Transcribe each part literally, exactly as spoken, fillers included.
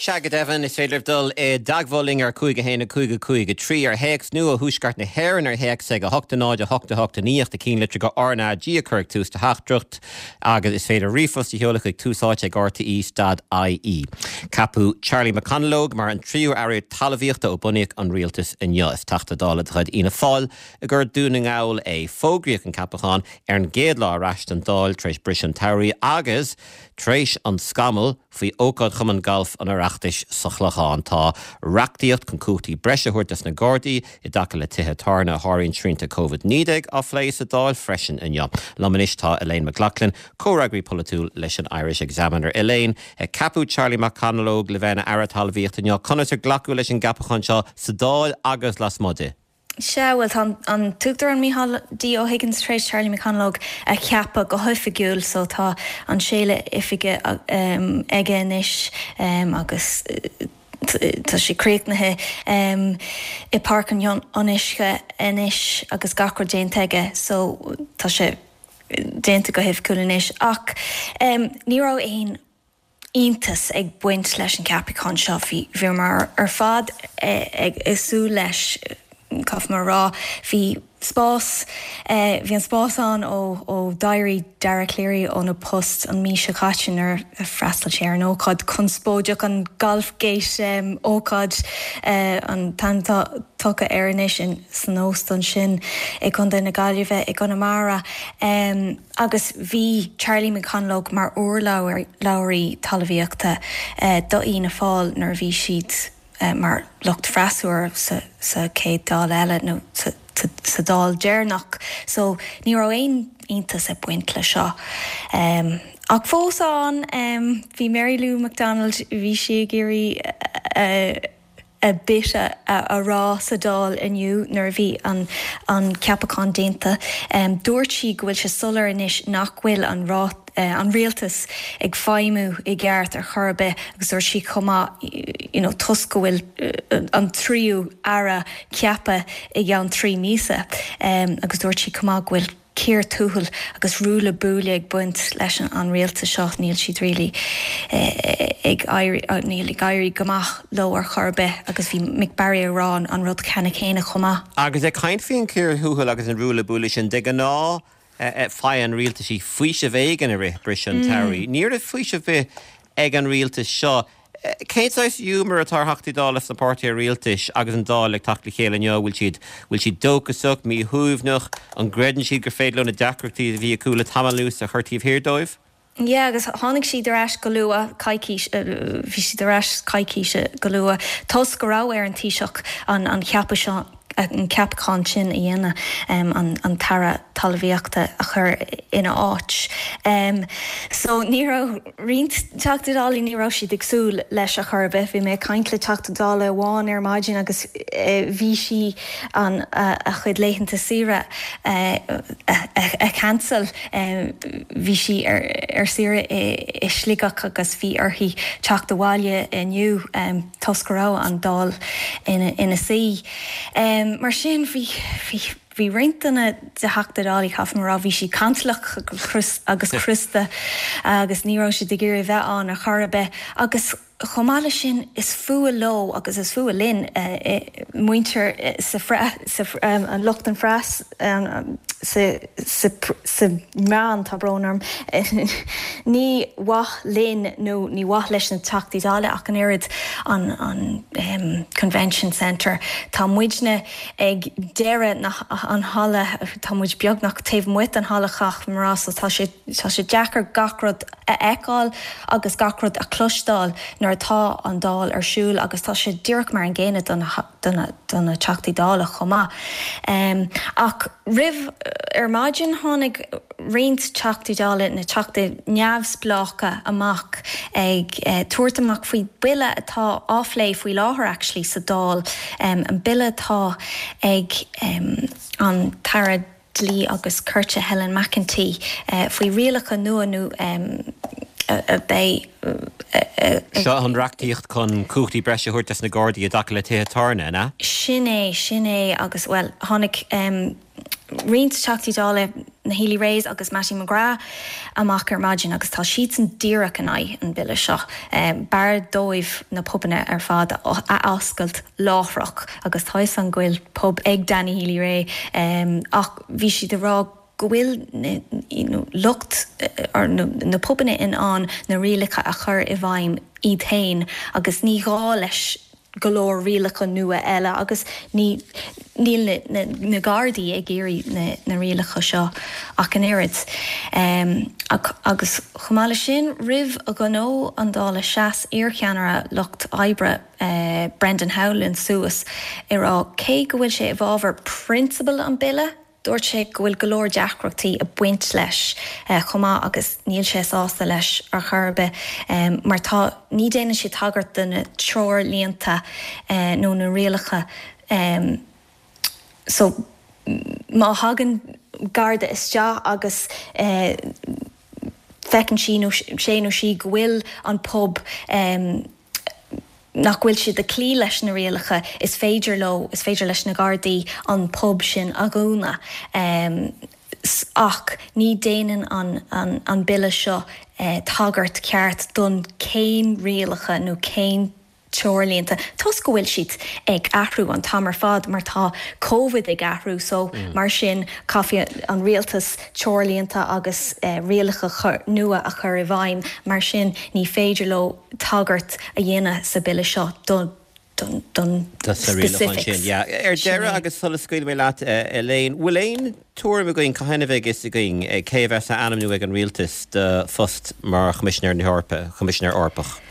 Sea go deimhin, is féidir libh dul i dteagmháil linn ar cúig a haon a cúig a cúig a trí ar théacs nó ó Thuaisceart na hÉireann ar théacs ag a hocht a náid a hocht a hocht a naoi ach do chinnlitir go RnaG a chur ag tús do theachtaireacht agus is féidir ríomhphost a sheoladh chuig Tús Áite ag RTE dot IE. Ceapadh Charlie McConalogue mar an tríú Aire Talmhaíochta ó bunaíodh an rialtas inniu. Is Teachta Dála de chuid Fhianna Fáil i gCo Dún na nGall é. Fógraíodh an ceapachán ar an gcéad lá ar ais don Dáil tar éis briseadh an tsamhraidh agus tar éis an scamaill faoi ócáid Chumann Gailf an Oireachtais sa Chlochán. Tá reachtaíocht chun cumhachtaí breise a thabhairt dos na Gardaí i dtaca le tithe tábhairne a sháraíonn srianta Covid naoi déag á phlé sa Dáil freisin inniu. Liom anois tá Elaine McLaughlin, comhfhreagraí polaitiúil leis an Irish Examiner. Elaine, ceapadh Charlie McConalogue le bheith ina Aire Talmhaíochta inniu. Conas ar glacadh leis an gceapachán seo sa Dáil agus lasmuigh di? Sea, bhuel, tá an tUachtarán Micheál D. Ó Higgins tar éis Charlie McConalogue a cheapadh go hoifigiúil so tá an séala oifige aige anois agus tá sé críochnaithe i bPáirc an Fhionnuisce anois agus gach rud déanta aige so tá sé déanta go hoifigiúil anois. Ach ní raibh aon iontas ag baint leis an gceapachán seo. Bhí bhíomar ar fad ag súil leis, caithfidh mé a rá. Bhí spás, bhí an spás ann ó ó d'éirigh Dara Calleary óna post an mhí seo caite nuair a freastal sé ar an ócáid conspóideach, an Golfgate ócáid an t-ainm atá tugtha air anois san óstán sin i gContae na Gaillimhe i gConamara. Agus bhí Charlie McConalogue mar urlabhraí talmhaíochta do Fhianna Fáil nuair a bhí siad mar lucht freasúra sa sa chéad Dáil eile nó sa sa Dáil deireanach. So ní raibh aon iontas ag baint le seo. Ach fós ann bhí Mary Lou McDonald, bhí sí ag iarraidh a bit a rá sa Dáil inniu nuair a bhí an an ceapachán déanta. Dúirt sí go bhfuil sé soiléir anois nach bhfuil an an rialtas ag feidhmiú i gceart ar chor ar bith agus dúirt sí chomh maith you know toisc go bhfuil an tríú aire ceaptha i gceann trí míosa agus dúirt sí chomh maith go bhfuil cíor tuathail agus ruaille buaille ag baint leis an rialtas seo, níl siad really ag éirí, níl ag éirí go maith leo ar chor ar bith agus bhí Mick Barry ag rá an rud ceanna céanna chomh maith. Agus ag caint faoin cíor thuathail agus an ruaille buaille sin, de ghnáth faigheann rialtaisí faoiseamh éigin i rith briseadh an tsamhraidh. Ní raibh faoiseamh ar bith ag an rialtas seo. Cén saghas giúmar atá ar Theachtaí Dála sna páirtithe rialtais agus an Dáil ag teacht le chéile inniu? Bhfuil siad bhfuil siad dóchasach, míshuaimhneach? An gcreideann siad gur féidir leo na deacrachtaí a bhí acu le tamall anuas a chur taobh thiar dóibh? Yeah, agus tháinig siad ar ais go luath, coicís, bhí siad ar ais coicís go luath, toisc go raibh ar an Taoiseach an an ceapadh seo, an ceapachán sin a dhéanamh, an an tAire Talmhaíochta a chur ina áit. So ní raibh roinnt Teachtaí Dála, ní raibh siad ag súil leis ar chor ar bith. Bhí mé ag caint le Teachta Dála amháin ar maidin agus bhí sí an a chuid laethanta saoire a cancel. Bhí sí ar ar saoire i i Sligeach agus bhí uirthi teacht abhaile inniu toisc go raibh an Dáil ina ina suí. Mar sin bhí bhí bhí roinnt de na Teachtaí Dála, caithfidh mé a rá, bhí siad cantalach agus crosta agus ní raibh siad ag iarraidh bheith ann ar chor ar bith agus chomh maith leis sin is fuath leo agus is fuath linn muintir sa an lucht an phreas sa sa sa meán, tá brón orm, ní mhaith linn nó ní mhaith leis na Teachtaí Dála ach an oiread an an Convention Centre. Tá muidne ag deireadh na an halla, tá muid beagnach taobh amuigh den halla caithfidh mé a rá so tá sé tá sé deacair gach rud a fheiceáil agus gach rud a chloisteáil nuair atá an Dáil ar siúl agus tá sé díreach mar an gcéanna do na do na do na Teachtaí Dála chomh maith. Um, ach roimh ar maidin tháinig roinnt Teachtaí Dála na Teachtaí neamhspleácha amach ag uh, tabhairt amach faoi bille atá á phlé faoi láthair actually sa Dáil um, an bille atá ag um, an tAire Dlí agus Cirt Helen McEntee uh, faoi rialacha nua nó um, a bheidh Seo an reachtaíocht chun cumhachtaí breise a thabhairt dos na Gardaí i dtaca le tithe tábhairne, an ea? Sin é, sin é agus well tháinig um, roinnt Teachtaí Dála na Healy-Raes agus Mattie McGrath amach ar maidin agus tá siadsan díreach in aghaidh an bille seo. B'fhearr dóibh na pubanna ar fad a oscailt láithreach agus tá a fhios agam go bhfuil pub ag Danny Healy-Rae ach bhí siad ag rá go bhfuil lucht na pubanna in ann na rialacha a chur i bhfeidhm iad féin agus ní gá leis go leor rialacha nua eile agus ní níl na, na Gardaí ag iarraidh na, na rialacha seo ach an oiread. Um, agus chomh maith leis sin roimh a ghnó an Dála sheas iarcheannaire lucht oibre uh, Brendan Howlin suas ag rá cé go bhfuil sé i bhfabhar prionsabal an bille, Dúirt sé go bhfuil go leor deacrachtaí ag baint leis chomh maith agus níl sé sásta leis ar chor ar bith mar tá ní déanann sé tagairt do na treoirlínte nó na rialacha so má thagann garda isteach agus feiceann sí nó sé nó sí go bhfuil an pub nach bhfuil siad ag cloí leis na rialacha, is féidir leo, is féidir leis na Gardaí an pub sin a dhúnadh. Ach ní déanann an, an, an bille seo tagairt ceart don cén rialacha nó cén treoirlínte toisc go bhfuil siad ag athrú an t-am ar fad mar tá Covid ag athrú so mar sin caithfidh an rialtas treoirlínte agus rialacha nua a chur i bhfeidhm mar sin ní féidir leo tagairt a dhéanamh sa bille seo don don don specifics. Ar deireadh agus sula scaoilfidh mé leat Elaine, bhfuil aon tuairim againn cathain a bheidh fhios againn cé a bheas á ainmniú ag an rialtas do phost mar Choimisinéir na hEorpa, Choimisinéir Eorpach?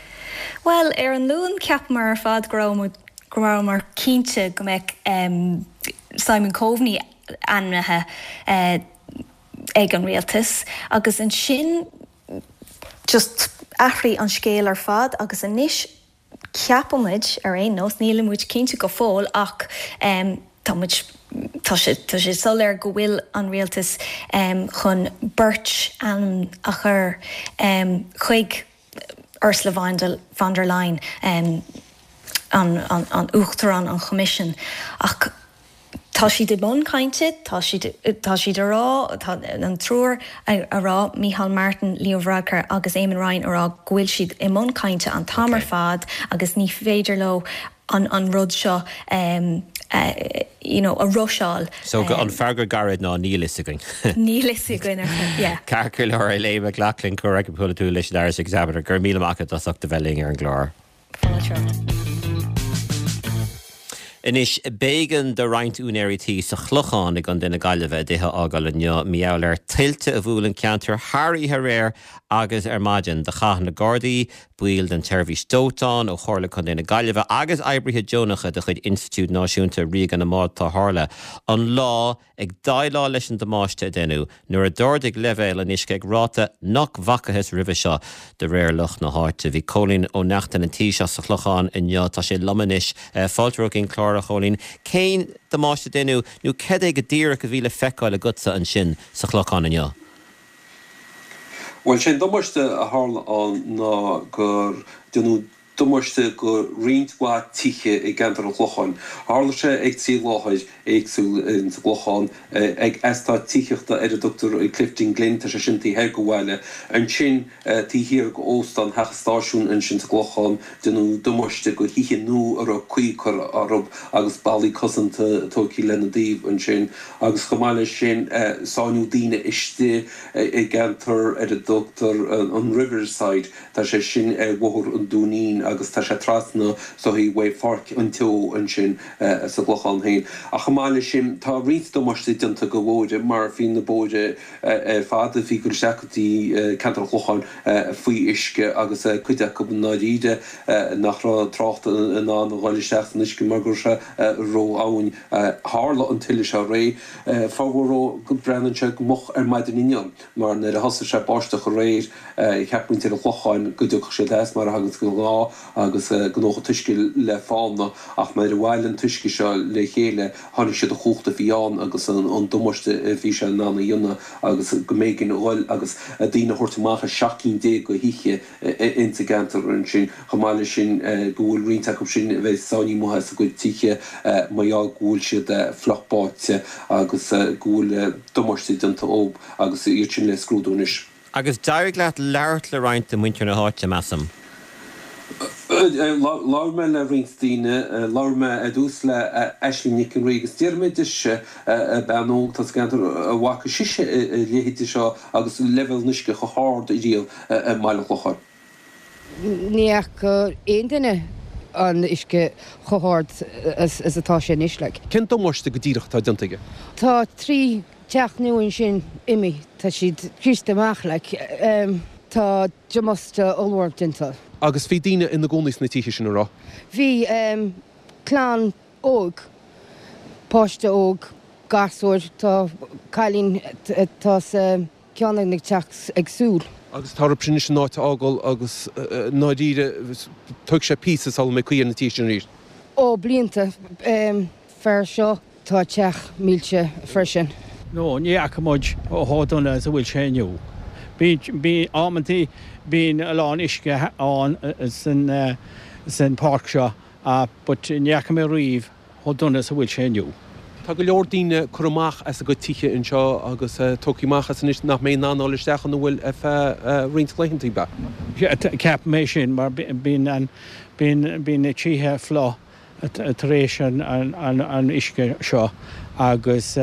Bhuel, ar an Luan cheapamar ar fad go raibh muid, go rabhamar cinnte go mbeadh Simon Coveney ainmnithe ag an rialtas agus ansin just athraigh an scéal ar fad agus anois ceapaimid ar aon nós, nílimid cinnte go fóill ach tá muid, tá sé, tá sé soiléir go bhfuil an rialtas chun beirt ainm a chur chuig Ursula von der Leyen, an an Uachtarán an Choimisiúin. Ach tá siad i mbun cainte, tá siad tá siad a rá, tá an triúr a rá, Micheál Martin, Leo Varadkar agus Eamon Ryan a rá go bhfuil siad i mbun cainte an t-am ar fad agus ní féidir leo an an rud seo you know, a rusháil. So an freagra gairid ná níl fhios againn. Níl fhios againn ar fad, yeah. Ceart go leor Elaine McLaughlin, comhfhreagraí polaitiúil leis an Irish Examiner, go raibh míle maith agat as ucht a bheith linn ar an gclár. Fáilte romhat. Anois, b'éigean do roinnt úinéirí tí sa Chlochán i gContae na Gaillimhe a dtithe a fhágáil inniu mar gheall ar tuilte a bhuail an ceantar thar oíche aréir agus ar maidin. Do chaith na Gardaí, baill den tseirbhís dóiteáin ó Chomhairle Contae na Gaillimhe agus oibrithe deonacha de chuid Institiúid Náisiúnta Ríoga na mBád Tarrthála an lá ag déileáil leis an damáiste a deineadh nuair a d'ardaigh leibhéal an uisce ag ráta nach bhfacathas roimhe seo, de réir lucht na háite. Bhí Cóilín Ó Neachtain an tí seo sa Chlochán inniu. Tá sé liom anois. Fáilte romhat chuig an chlár, a Chóilín. Cén damáiste a deineadh nó cad é go díreach a bhí le feiceáil agatsa ansin sa Chlochán inniu? Bhuel, sé an damáiste a tharla ann ná gur deineadh damáiste go roinnt mhaith tithe i gceantar an Chlocháin. Tharla sé ag trí láthair éagsúil ins an gClochán, ag eastát tithíochta ar a dtugtar Clifden Glen, tá sé sin taobh thoir go bhaile. Ansin taobh thiar go Óstán Theach an Stáisiúin ansin sa gClochán, deineadh damáiste go thithe nua a raibh caoi curtha orthu agus ballaí cosanta tógtha lena dtaobh ansin. Agus chomh maith leis sin, sáinniodh daoine istigh i gceantar ar a dtugtar an Riverside, tá sé sin ar Bhóthar an Dúinín agus tá sé trasna so thaobh Pháirc an Teo ansin sa gClochán féin. Ach chomh maith leis sin, tá roinnt damáiste déanta go bhóithre mar bhí na bóithre ar fad a bhí ag dul isteach go dtí ceantar an Chlocháin faoi uisce agus cuid acu i ndáiríre nach raibh trácht in ann a dhul isteach san uisce mar go raibh sé ródhomhain. Tharla an tuile seo aréir, formhór go breathnaíonn sé go moch ar maidin inniu mar nuair a thosaigh sé ag báisteach aréir cheap muintir an Chlocháin go dtiocfadh siad as mar a thagann de ghnáth agus go ndódh an t-uisce le fána ach nuair a bhailigh an t-uisce seo le chéile tháinig sé de chumhacht a bhí ann agus an damáiste a bhí sé in ann a dhéanamh agus go mb'éigean a dhul agus daoine a thabhairt amach as seacht gcinn déag de thithe insa gceantar ansin. Chomh maith leis sin go bhfuil roinnt acu sin a bheith sáinnithe amuigh as a gcuid tithe mar gheall go bhfuil siad fliuch báite agus go bhfuil damáiste déanta dóibh agus iad sin le scrúdú anois. Agus d'éirigh leat labhairt le roinnt de mhuintir na háite, measaim? Labhair mé le roinnt daoine. Labhair mé ar dtús le Aisling Nic an Rí agus d'fhiafraigh mé dise, bean óg atá sa gceantar, an bhfaca sise a leithéide seo agus leibhéal an uisce chomh hard riamh i mBaile an Chlocháin. Ní fhaca aon duine an uisce chomh hard is atá sé anois, like. Cén damáiste go díreach atá déanta aige? Tá trí teach nua ansin imithe, tá siad scriosta amach, like. Tá damáiste ollmhór déanta. Agus bhí daoine ina gcónaí sna tithe sin, an raibh? Bhí, clann óg, páiste óg, gasúr, tá cailín atá sa ceann ag teach ag súil. Agus tá oraibh anois an áit a fhágáil agus i ndáiríre tógfaidh sé píosa sula mbeidh caoi ar na tithe sin arís. Ó, blianta. Fear seo, tá teach millte freisin. No, ní fhaca muid chomh dona is a bhfuil sé inniu. Bíonn, amantaí, bíonn a lán uisce ann san, san páirc seo but ní fhaca mé riamh chomh dona is a bhfuil sé inniu. Tá go leor daoine curtha amach as a gcuid tithe anseo agus tógtha amach as anois nach mbeidh in ann dul isteach ina bhfuil ar feadh roinnt laethanta, ab ea? Ceapaim é sin mar bíonn an, bíonn, bíonn na tithe fliuch tar éis an, an, an uisce seo agus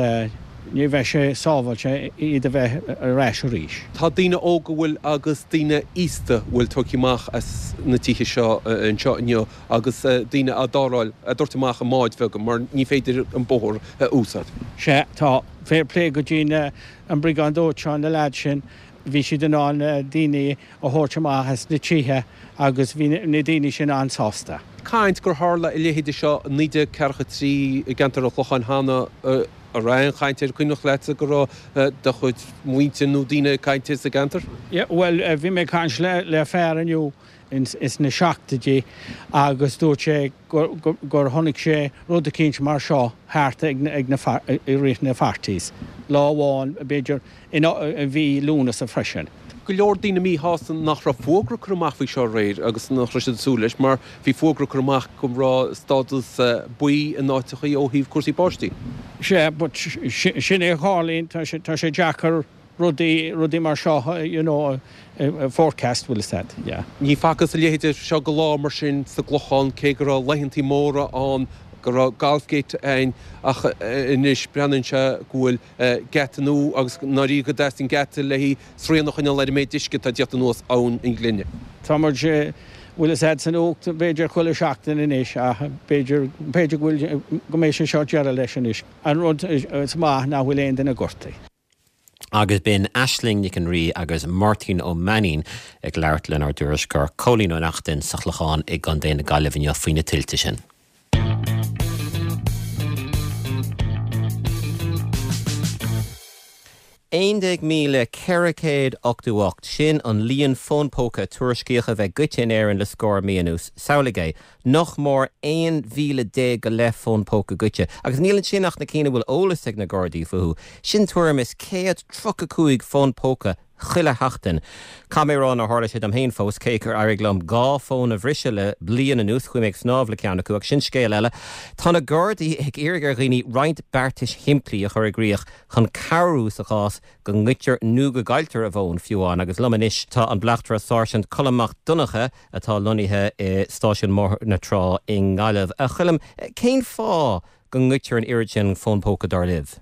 ní bheidh sé sábháilte iad a bheith ar ais arís. Tá daoine óga a bhfuil agus daoine aosta a bhfuil tógtha amach as na tithe seo anseo inniu agus daoine á dtarrtháil, á dtabhairt amach i mbáid bheaga mar ní féidir an bóthar a úsáid. Sea, tá. Fair play go dtí an Briogáid Dóiteáin, na leaids sin, bhí siad in ann daoine a thabhairt amach as na tithe agus bhí na daoine sin an-sásta. Caint gur tharla a leithéide seo i naoi déag ceathracha trí i gceantar an Chlocháin cheana, an raibh aon chaint air, cuimhneach leatsa go raibh do chuid muintir nó daoine ag caint air sa gceantar? Yeah, bhuel, bhí mé ag caint le fear inniu ins na seachtóidí agus dúirt sé gur chonaic sé rud eicínt mar seo thart ag na, i rith na forties. Lá amháin, b'fhéidir, i mhí Lúnasa freisin. Go leor daoine míshásta nach raibh fógra curtha amach faoi seo aréir agus nach raibh siad ag súil leis mar bhí fógra curtha amach go raibh stádas buí in áiteachaí ó thaobh cúrsaí báistí. Sea, but sin é a tharlaíonn, tá sé, tá sé deacair rudaí, rudaí mar seo, you know, forecast, bhfuil fhios a'd, yeah. Ní facthas a leithéide seo go lá mar sin sa gClochán cé go raibh laethantaí móra ann, go raibh Golfgate ann ach anois breathnaíonn sé go bhfuil geata nua agus i ndáiríre go dteastaíonn geata le haghaidh srian a choinneáil ar an méid uisce atá ag tíocht anuas Abhainn an Ghlinne. Tá muid, bhfuil fhios a'd, san fhuacht b'fhéidir chuile seachtain anois ach b'fhéidir, b'fhéidir go bhfuil, go mbeidh sé seo deireadh leis anois. An rud is maith nach bhfuil aon duine gortaithe. Agus b'in Aisling Nic an Rí agus Máirtín Ó Mainnín ag labhairt lenár dtuairisceoir Cóilín Ó Neachtain sa Chlochán i gContae na Gaillimhe inniu faoi na tuilte sin. Aon déag míle ceithre chéad ochtó ocht, sin an líon fón póca a tuairiscíodh a bheith goidte in Éirinn le scór mí anuas. Samhlaigh é, nach mór aon mhíle déag go leith fón póca goidte, agus níl ansin ach na cinn a bhfuil eolas ag na Gardaí fúthu. Sin tuairim is céad tríocha cúig fón póca chuile sheachtain. Caithfidh mé a rá nár tharla sé dom féin fós, cé gur éirigh liom dhá fón a bhriseadh le bliain anuas, chuaigh mé ag snámh le ceann acu, ach sin scéal eile. Tá na Gardaí ag iarraidh ar dhaoine roinnt beartais shimplí a chur i gcrích chun cabhrú sa chás go ngoidtear nó go gcailltear a bhfón, fiú amháin. Agus liom anois tá an Bleachtaire Sáirsint Colm Mac Donncha atá lonnaithe i Stáisiún Bhóthar na Trá i nGaillimh. A Choilm, cén fáth go ngoidtear an oiread sin fón póca dar libh?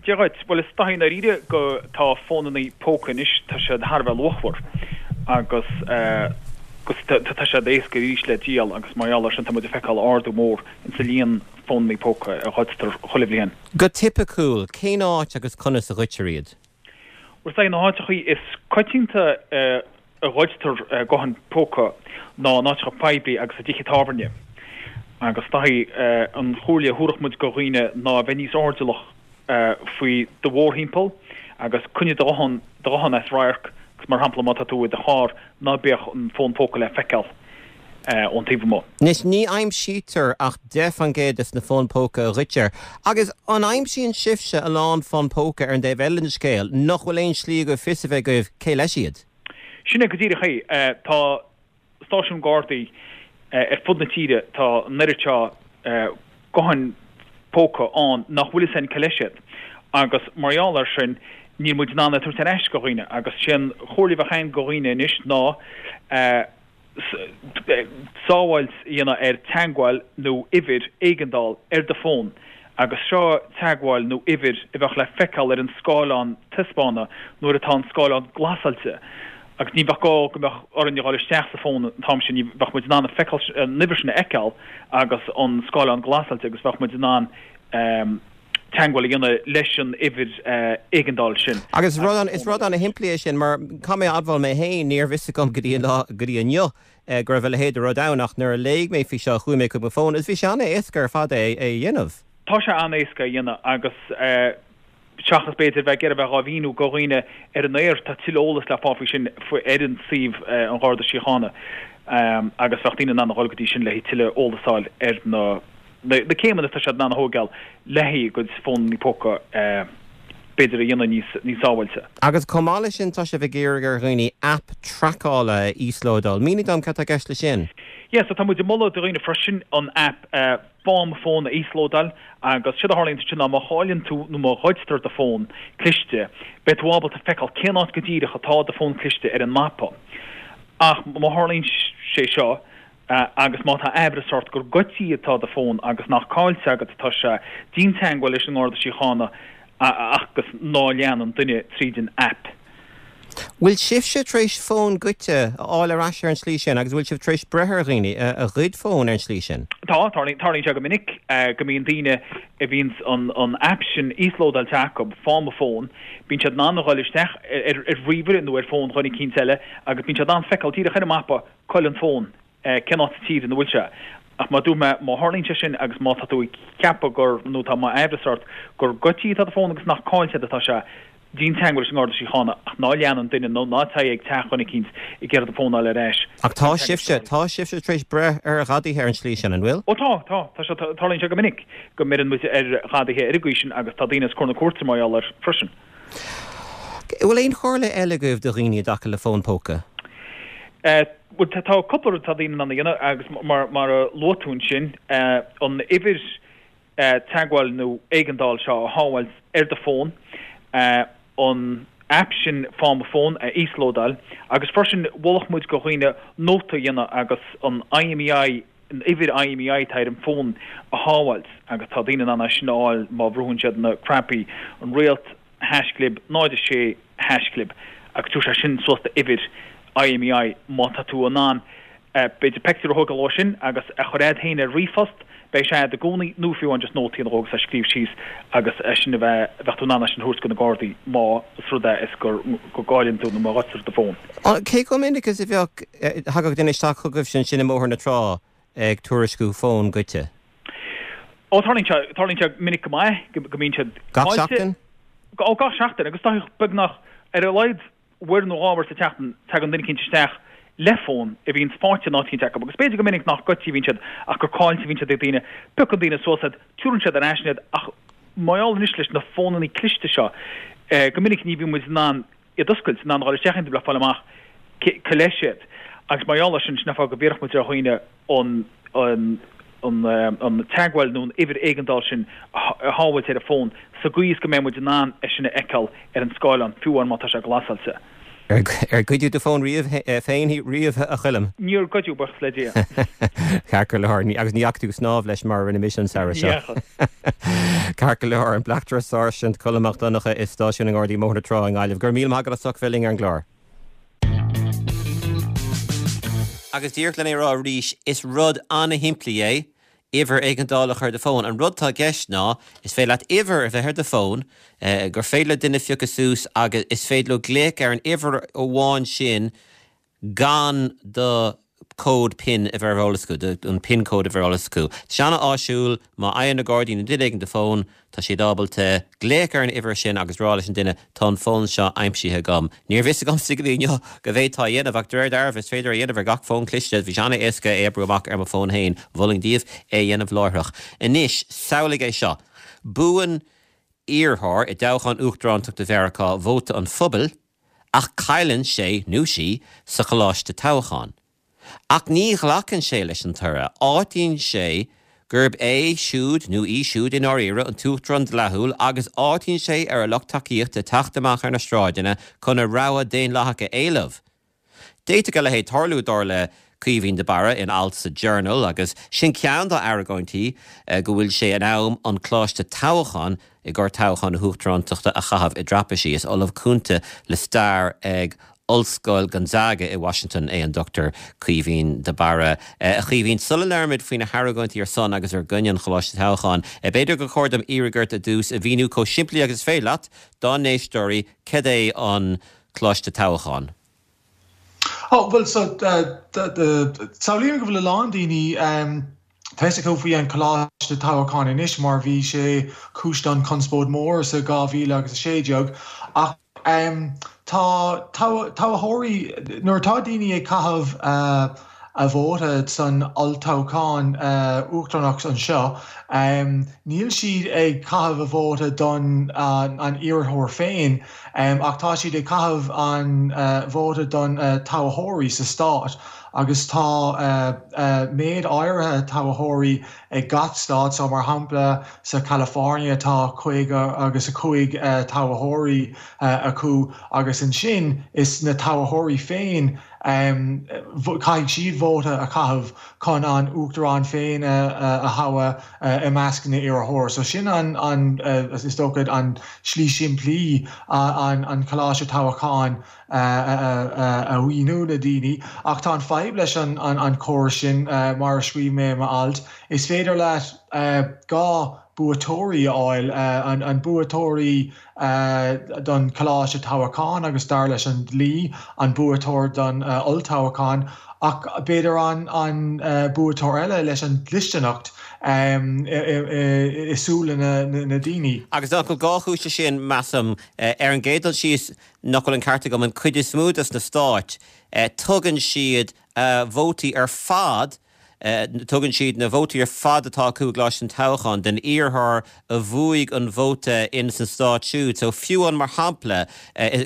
Dia dhuit. Bhuel, is dóichí i ndáiríre go tá fónannaí póca anois, tá siad thar a bheith luachmhar agus agus tá siad éasca arís le díol agus mar gheall air sin tá muid ag feiceáil ardú mór insa líon fónannaí póca a ghoidtear chuile bhliain. Go tipiciúil, cén áit agus conas a ghoidtear iad? Bhuel, is dóichí na háiteachaí is coitianta a ghoidtear gutháin póca ná in áiteacha poiblí agus i dtithe tábhairne. Agus is dóichí an chomhairle a thabharfadh muid go dhaoine ná a bheith níos airdeallach faoi do mhórthimpeall agus coinnigh do ghuthán as radharc agus mar shampla má tá tú i do charr ná bíodh an fón póca le feiceáil. ón taobh amuigh. Anois, ní aimsítear ach deich faoin gcéad de na fóin póca a ghoidtear. Agus an aimsíonn sibhse a lán fón póca ar an dtaobh eile den scéal, nach bhfuil aon slí agaibh fios a bheith agaibh cé leis iad? Sin é go díreach é. Tá stáisiúin Gardaí ar fud na tíre, tá an oiread seo gutháin póca ann nach bhfuil fhios againn cé leis iad. Agus mar gheall air sin, níl muid in ann é a thabhairt ar ais go dhaoine. Agus sé an chomhairle a bheadh againn go dhaoine anois ná sábháilt a dhéanamh ar teagmháil nó uimhir éigeandáil ar do fón agus seo teagmháil nó uimhir a bheadh le feiceáil ar an scáileán taispeána nuair atá an scáileán glasáilte agus ní bheadh gá go mbeadh orainn a dhul isteach sa fón an t-am sin, bheadh muid in ann an uimhir sin a fheiceáil agus an scáileán glasáilte agus bheadh muid in ann teagmháil a dhéanamh leis an uimhir éigeandáil sin. Agus is rud ana-shimplí é sin mar caithfidh mé a admháil mé féin, níorbh fhios agam go dtí an lá, go dtí inniu go raibh a leithéid de rud ann ach nuair a léigh mé faoi seo chuaigh mé chuig mo fón agus bhí sé an-éasca ar fad é a dhéanamh. Tá sé an-éasca a dhéanamh agus seachas b'fhéidir bheith ag iarraidh bheith dhá mhíniú go dhaoine ar an aer, tá tuilleadh eolas le fáil faoi sin ar an suíomh an Gharda Síochána agus bheadh daoine in ann a dhul go dtí sin le tuilleadh eolas a fháil ar na na céimeanna atá siad in ann a thógáil le haghaidh a gcuid fónanna póca b'fhéidir a dhéanamh níos níos sábháilte. Agus chomh maith leis sin tá sibh ag iarraidh ar dhaoine aip traiceála a íoslódáil. Mínigh dom cad tá i gceist leis sin. Yeah, so tá muid ag moladh do dhaoine freisin an aip Faigh Mo Fón a íoslódáil agus séard a tharlaíonn ansin ná má chailleann tú nó má ghoidtear do fón cliste beidh tú ábalta feiceáil cén áit go díreach atá do fón cliste ar an mapa. Ach má tharlaíonn sé seo Agus má tá aimhreas ort gur goidte atá do fón agus nach caillte agat atá sé, déan teagmháil leis an nGarda Síochána agus ná lean an duine tríd an aip. Bhfuil sibhse tar éis fón goidte a fháil ar ais ar an tslí sin agus bhfuil sibh tar éis breith ar dhaoine a ghoid fón ar an tslí sin? Tá, tarlaíonn sé go minic go mbíonn daoine a bhíonns an aip sin íoslódáilte acu, Faigh Mo Fón, bíonn siad in ann a dhul isteach ar ríomhaire nó ar fón dhuine eicínt eile agus bíonn siad in ann feiceáil díreach ar an mapa cá bhfuil an fón. cén áit sa tír ina bhfuil sé. Ach mar a dúirt mé, má tharlaíonn sé sin agus má tá tú ag ceapadh gur, nó tá aimhreas ort gur goidte atá do fón agus nach caillte agat atá sé, déan teagmháil leis an nGarda Síochána ach ná lean an duine nó ná téigh ag teach dhuine eicínt ag iarraidh do fón a fháil ar ais. Ach tá sibhse, tá sibhse tar éis breith ar ghadaithe ar an tslí sin, an bhfuil? Ó tá, tá. Tá sé, tarlaíonn sé go minic go mbeireann muid ar ghadaithe ar an gcaoi sin agus tá daoine os comhair na cúirte mar gheall air freisin. An bhfuil aon chomhairle eile agaibh do dhaoine i dtaca le fón póca? Bhuel, tá cúpla rud atá daoine in ann a dhéanamh agus mar a luaigh tú ansin, an uimhir teagmháil nó éigeandáil seo a shábháilt ar do fón, an aip sin Faigh Mo Fón a íoslódáil agus freisin mholfadh muid go dhaoine nóta a dhéanamh agus an IMEI, an uimhir IMEI atá ar an bhfón a shábháilt agus tá daoine in ann é sin a fháil má bhrúnn siad na cnaipí, an réalt, haischlib, náid a sé, haischlib, agus tabharfaidh sé sin suas d'uimhir IMEI má tá tú in ann b'fhéidir pictiúr a thógáil dhó sin agus a chur agat féin ar ríomhphost, beidh sé agat i gcónaí nó fiú amháin just nóta a dhéanamh dhó agus é a scríobh síos agus é sin a bheith, bheadh tú in ann é sin a thabhairt go na Gardaí má is rud é is gur, go gcailleann tú nó má ghoidtear do fón. Cé chomh minic is a bheadh, thagadh duine isteach chugaibhse ansin i mBóthar na Trá ag tuairisciú fón goidte? Ó, tarlaíonn sé, tarlaíonn sé minic go maith go mbíonn siad Gach caillte. seachtain? Ó, gach seachtain agus tá beagnach ar a laghad uair nó dhá uair sa tseachtain tagann duine eicínt isteach le fón a bhíonns faighte in áit eicínt acu agus b'fhéidir go minic nach goidte a bhíonn siad ach gur caillte a bhíonn siad ag daoine. Piocann daoine suas iad, tabharann siad ar ais iad ach mar gheall anois leis na fónannaí cliste seo go minic ní bhíonn muid in ann iad a oscailt, in ann a dhul isteach iontu le fáil amach cé leis iad. Agus mar gheall air sin, sin an fáth go bhfiarfadh muid ar dhaoine an an an teagmháil nó an uimhir éigeandáil sin a shábháilt ar a bhfón sa gcaoi is go mbeidh muid in ann é sin a fheiceáil ar an scáileán, fiú amháin má tá sé glasáilte. Ar goideadh do fón riamh féin riamh, a Choilm? Níor goideadh, buíochas le Dia. Ceart go leor, agus ní dheachaigh tú ag snámh leis mar a rinne mise an samhradh seo. Ní dheachaigh. Ceart go leor, an Bleachtaire Sáirsint Colm Mac Donncha i Stáisiún na nGardaí i mBóthar na Trá i nGaillimh. Go raibh míle maith agat as ucht bheith linn ar an gclár. Agus díreach lena rá arís, is rud an-shimplí é uimhir éigeandála a chur ar do fón. An rud atá i gceist ná, is féidir leat uimhir a bheith ar do fón, gur féidir le duine phiocadh suas agus is féidir leo glaoch ar an uimhir amháin sin gan do cód PIN a bheith ar eolas acu, an PIN code a bheith ar eolas acu. Tá sé an-áisiúil, má fhaigheann na Gardaí nó duine éigin do fón, tá siad ábalta glaoch ar an uimhir sin agus rá leis an duine tá an fón seo aimsithe agam. Níorbh fhios agamsa go dtí inniu go bhféadfá a dhéanamh ach de réir dealraimh is féidir a dhéanamh ar gach fón cliste, bhí sé an-éasca é a oibriú amach ar mo fón féin, mholfainn daoibh é a dhéanamh láithreach. Anois, samhlaigh é seo. Buann iarrthóir i dtoghchán uachtarántachta Mheiriceá vóta an phobail ach cailleann sé nó sí sa choláiste toghcháin. Ach ní ghlacann sé leis an toradh, áitíonn sé gurb é siúd nó í siúd i ndáiríre an t-uachtarán dleathúil agus áitíonn sé ar a lucht tacaíochta teacht amach ar na sráideanna chun a rogha daonlathach a éileamh. D'fhéadfadh a leithéid tarlú, dar le Caoimhín de Barra in alt sa Journal agus sin ceann dá argóintí go bhfuil sé in am an coláiste toghcháin i gcomhair toghchán na huachtarántachta a chaitheamh i dtraipisí. Is Ollamh Cúnta le Stair ag Ollscoil Gonzaga i Washington é an Dochtúir Caoimhín de Barra. A Chaoimhín, sula labhraímid faoi na hargóintí ar son agus ar gcoinne an Choláiste Toghcháin, b'fhéidir gur chóir dom iarraidh ort i dtús a mhíniú chomh simplí agus is féidir leat dár n-éisteoirí cad é an Coláiste Toghcháin. Oh, well, so, samhlaím go bhfuil a lán daoine tá fhios acu faoi an Coláiste Toghcháin anois mar bhí sé cúis don conspóid mór sa dhá mhíle agus a sé déag ach tá toghthóirí nuair atá daoine ag caitheamh a vóta san olltoghchán uachtaránach anseo, níl siad ag caitheamh a vóta don an iarrthóir féin ach tá siad ag caitheamh an vóta don toghthóirí sa stát agus tá méid áirithe toghthóirí ag gach stát, so mar shampla sa California tá caoga agus a cúig toghthóirí acu agus ansin is na toghthóirí féin caithfidh siad vóta a chaitheamh chun an uachtarán féin a thoghadh i measc na n-iarrthóirí. So sin an an is dócha an slí simplí an an coláiste toghcháin a mhíniú na daoine. Ach tá an fadhb leis an an córas sin mar a scríobh mé i m'alt, is féidir leat dhá buaiteoirí a fháil, an buaiteoirí don choláiste toghcháin agus dar leis an dlí an buaiteoir don olltoghchán ach b'fhéidir an an buaiteoir eile leis an dlisteanacht i súile na daoine. Agus nach bhfuil dhá chúis leis sin, measaim. Ar an gcéad dul síos, nach bhfuil an ceart agam, an cuid is mó des na stáit, tugann siad vótaí ar fad Tugann siad na vótaí ar fad atá acu i gcoláiste an toghcháin don iarrthóir a bhuaigh an vóta in san stát siúd. So fiú amháin mar shampla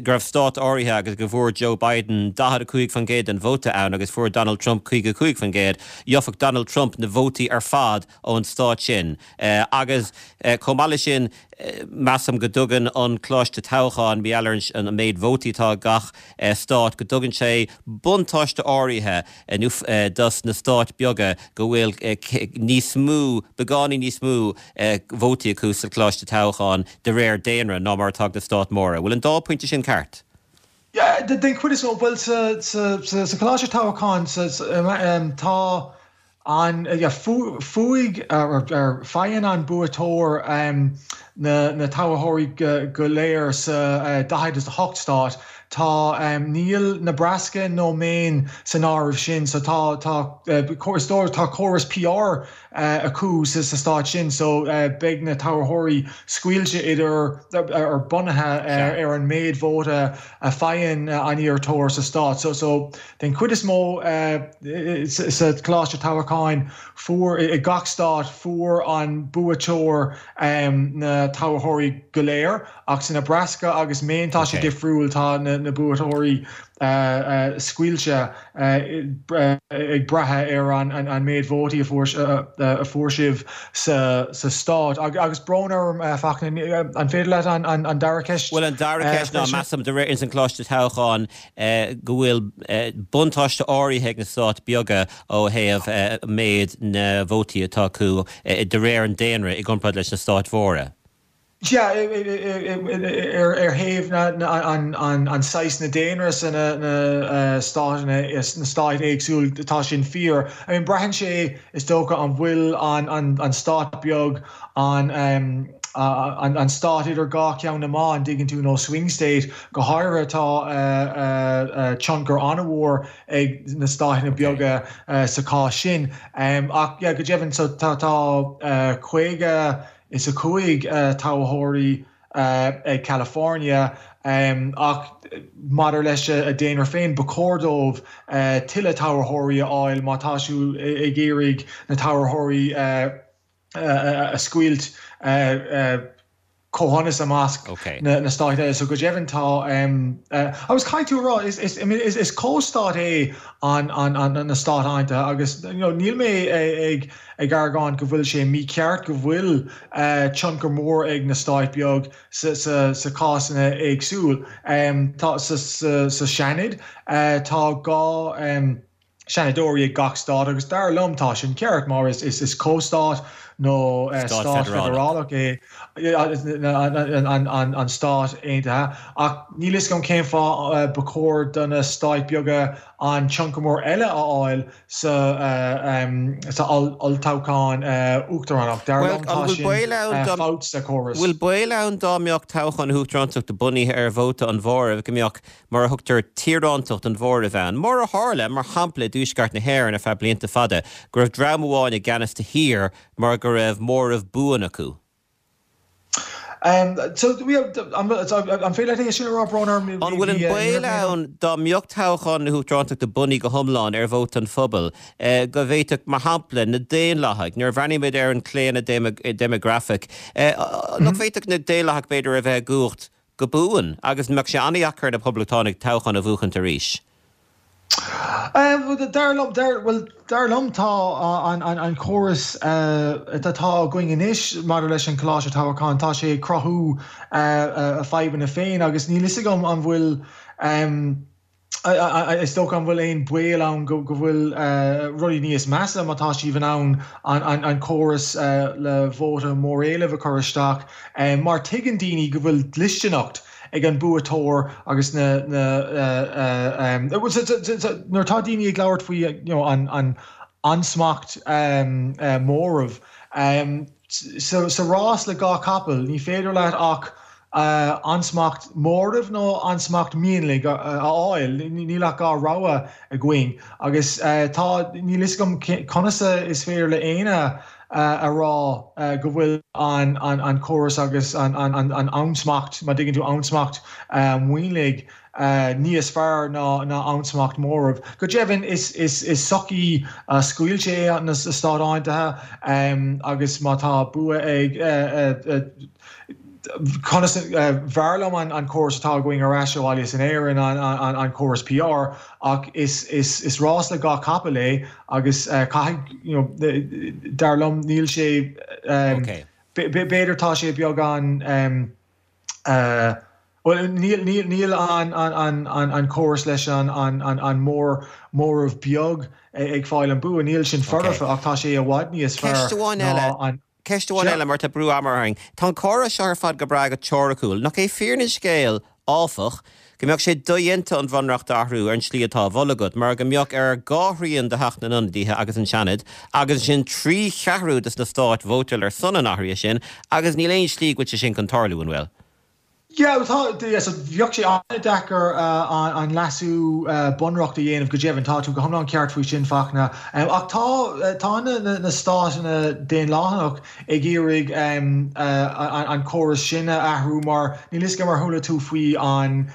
go raibh stát áirithe agus go bhfuair Joe Biden daichead a cúig faoin gcéad den vóta ann agus fuair Donald Trump caoga a cúig faoin gcéad, gheobhadh Donald Trump na vótaí ar fad ón stát sin. Agus chomh maith leis sin, measaim go dtugann an coláiste toghcháin, mar gheall ar an méid vótaí atá ag gach stát, go dtugann sé buntáiste áirithe dos na stáit beaga go bhfuil níos mó, beagáinín níos mó vótaí acu sa choláiste toghcháin de réir daonra ná mar atá ag na stáit móra. Bhfuil an dá phointe sin ceart? Den chuid is mó, bhuel sa choláiste toghcháin tá an fuaigh ar faigheann an buaiteoir na toghthóirí go léir sa daichead is a hocht stát. Tá níl Nebraska nó Maine san áireamh sin so tá tá is dóigh tá córas PR acu sa stát sin so beidh na toghthóirí scaoilte idir ar bunaithe ar an méid vóta a faigheann an iarrthóir sa stát. So so den chuid is mó sa Choláiste Toghcháin fuair i gach stát fuair an buaiteoir na toghthóirí go léir ach sa Nebraska agus Maine tá sé difriúil tá na na buaiteoirí scaoilte ag brath ar an méid vótaí a fuair sibh sa stát. Agus brón orm, Fachtna, an féidir leat an dara ceist? Bhuel, an dara ceist ná, measaim, de réir ins an Choláiste Toghcháin, go bhfuil buntáiste áirithe ag na stáit beaga ó thaobh méid na vótaí atá acu de réir an daonra i gcomparáid leis na stáit mhóra. Sea, ar thaobh an saghas na daonra sa na stáiteanna, sna stáit éagsúil, tá sin fíor. I mean, braitheann sé, is dócha, an bhfuil an stát beag an an stát idir dhá cheann na meá, an dtuigeann tú, nó swing state, go háirithe tá tionchar an-mhór ag na stáiteanna beaga sa chás sin. Ach yeah, go deimhin so tá tá caoga is a cúig toghthóirí ag California ach maidir leis a daonra féin, ba chóir dóibh tuilleadh toghthóirí a fháil má tá siad ag iarraidh na toghthóirí a scoilt comhionannas i measc na stáit eile. So go deimhin tá, agus caithfidh tú a rá, is comhstát é an na Stáit Aontaithe agus níl mé ag ag argóint go bhfuil sé mícheart go bhfuil tionchar mór ag na stáit beag sa sa cásanna éagsúil. Tá sa sa Seanad tá dhá Seanadóirí ag gach stát agus dar liom tá sin ceart mar is is comhstát nó stát feidearálach é an Stát Aontaithe ach níl fhios agam cén fáth ba chóir do na stáit beaga an tionchar mór eile a fháil sa sa olltoghchán uachtaránach. Dar liom tá sin fabht sa chóras. Bhfuil baol ann dá mbeadh toghchán na huachtarántachta bunaithe ar vóta an mhóraimh go mbeadh mar a thugtar tíorántacht an mhóraimh ann, mar a tharla, mar shampla, i dTuaisceart na hÉireann ar feadh blianta fada, go raibh dream amháin i gceannas sa thír mar go raibh móramh buan acu. An féidir leat é sin a rá, brón orm? An bhfuil an baol ann dá mbeadh toghchán na huachtarántachta bunaithe go hiomlán ar vóta an phobail, go bhféadfadh, mar shampla, na Daonlathaigh, nuair a bhreathnaímid ar an chlaonadh déimeagrafach, nach bhféadfadh na Daonlathaigh, b'fhéidir, a bheith i gcumhacht go buan agus mbeadh sé an-dheacair ar na Poblachtánaigh toghchán a bhuachaint arís. Dar liom, bhuel, dar liom tá an córas atá againn anois maidir leis an Choláiste Toghcháin, tá sé ag cruthú a fadhbanna féin agus níl fhios agam an bhfuil, Is dócha an bhfuil aon baol ann go bhfuil rudaí níos measa má tá siad in ann an córas le vóta móréilimh a chur isteach mar tuigeann daoine go bhfuil dlisteanacht ag an buaiteoir agus na nuair atá daoine ag labhairt faoi an ansmacht móraimh sa rás le dhá chapall ní féidir leat ach ansmacht móraimh nó ansmacht mionlaigh a fháil. Níl ach dhá rogha againn agus tá, níl fhios agam conas is féidir le éinne a rá go bhfuil an córas agus an ansmacht, má dtuigeann tú, ansmacht mionlaigh níos fearr ná ansmacht móraimh. Go deimhin is sochaí scoilte é na Stáit Aontaithe agus má tá bua ag Conas, b'fhearr liom an córas atá againn ar ais abhaile in Éirinn, an córas PR, ach is rás le dhá chapall é agus caithfidh, you know, dar liom níl sé, b'fhéidir tá sé beagán, bhuel níl an córas leis an móramh beag ag fáil an bua, níl sin foirfe ach tá sé i bhfad níos fearr ná an. Ceist amháin eile mar tá brú ama orainn. Tá an córas seo ar fad go breá go teoiriciúil. Nach é fírinne an scéil, áfach, go mbeadh sé dodhéanta an Bhunreacht a athrú ar an tslí atá á mholadh agat, mar go mbeadh ar dhá thrian de Theach na nIonadaithe agus an Seanad, agus ansin trí cheathrú de na stáit vótáil ar son an athraithe sin, agus níl aon slí go bhfuil sé sin chun tarlú, an bhfuil? Yeah, tá, yeah, so bheadh sé an-deacair an leasú bunreacht a dhéanamh go deimhin, tá tú go hiomlán ceart faoi sin, Fachtna. Ach tá, tá na, na stáiteanna daonlathach ag iarraidh an córas sin a athrú mar níl fhios agam ar chuala tú faoi an,